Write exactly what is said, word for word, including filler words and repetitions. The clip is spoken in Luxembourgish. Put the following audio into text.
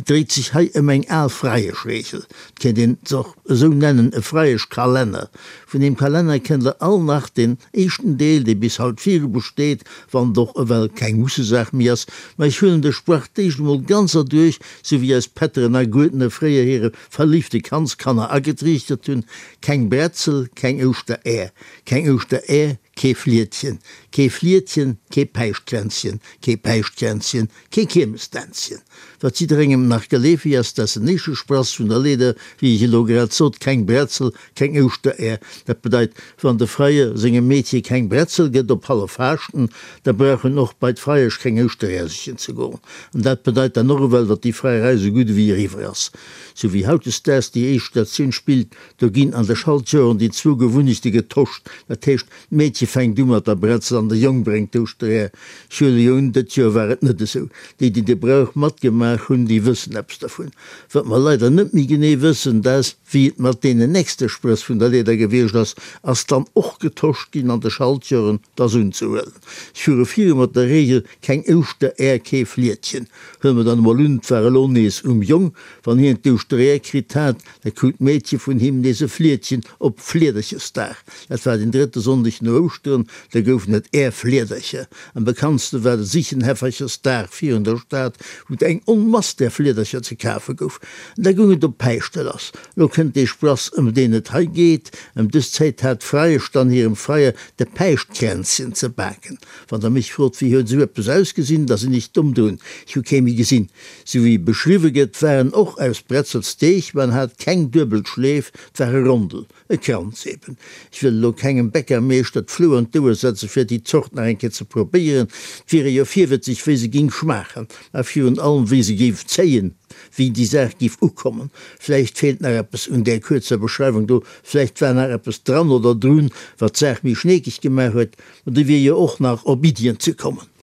Et dréit sech hei ëm eng al Freieschregel, et kéint een se och esou nennen, e Freieschkalenner. Vun deem Kalenner kennt der all nach deen éischten Deel, dee bis haut viru besteet, wann et och ewell keng Mussesaach méi ass. Ma ech huelen de Sprach d'éischt emol ganz erduerch, sou wéi eis Pätteren a Guedene fréier hire verliefte Kandskanner agetriichtert hunn, Keng Bretzel, keng Ouschteräer, keng Ouschteräer, kee Fliedchen, kee Fliedchen, kee Päischtkränzchen, kee Päischtkränzchen, kee Kiermesdänzchen. Wat jidderengem nach geleefeg ass, dat ass den éischte Sprass vun der Leeder, wéi ech elo grad sot, keng Bretzel, keng Ouschteräer. Dat bedeit, wann de Freier sengem Meedche keng Bretzel gëtt op Halleffaaschten, da brauch en och bei d'Freiesch keng Ouschteräer sichen ze goen. An dat bedeit dann och ewell, datt déi Freierei sou gutt ewéi eriwwer ass. Sou wéi hautdesdaags déi éischt Statioun spillt, do ginn an de Schaltjoren déi zwou Gewunnechte getoschtt. Dat heescht, d'Meedche fänkt u mat der Bretzel an de Jong bréngt d'Ouschteräer. Ech huele jo un, dët Joer war et net esou. Déi, déi de Brauch matgemaach hunn, déi wëssen eppes dervun. Wat mer leider net méi genee wëssen, dat ass, wéi et mat deenen nächste Sprëss vun der Leeder gewiescht ass. Ass dann och getoschtt ginn an de Schaltjoren? 't ass unzehuelen. Ech fuere viru mat der Regel, keng Ouschteräer, kee Fliedchen. Huele mer dann emol un, 't war elo nees um Jong. Wann hien d'Ouschteräer kritt hat, da krut d'Meedche vun him nees e Fliedchen op Fliederchesdag. Dat war den drëtte Sonndeg no Ouschteren, da goufen et Äerfliedercher. Am bekanntste war de Sichenhäfferchersdag virun der Stad, wou et eng Onmass där Fliedercher ze kafe gouf. An da goung et op Päischte lass. Elo kënnt dee Sprass, ëm deen et hei geet. Ëm dës Zäit hat d'Freiesch dann hirem Freier de Päischtkränzchen ze baken. Wann der mech frot, wéi huet esou eppes ausgesinn, da sinn ech domm drun, ech hu kee méi gesinn. Sou wéi beschriwwe gëtt, war en och aus Bretzelsdeeg, ma en hat keng duebel Schleef, 't war e Rondel, e Kranz eben. Ech wëll elo kengem Bäckermeeschter d'Flou an d'Ouer setze fir déi Zort nach eng Kéier ze probéieren, 't wier ee jo virwëtzeg wéi se ging schmaachen, ma virun allem wéi se géif zéien, wéi déi Saach géif ukommen. Vläicht feelt nach eppes un där kuerzer Beschreiwung do, vläicht war nach eppes dran oder drun, wat d'Saach méi schneekeg gemaach huet, ma do wier jo och nach op Iddien ze kommen.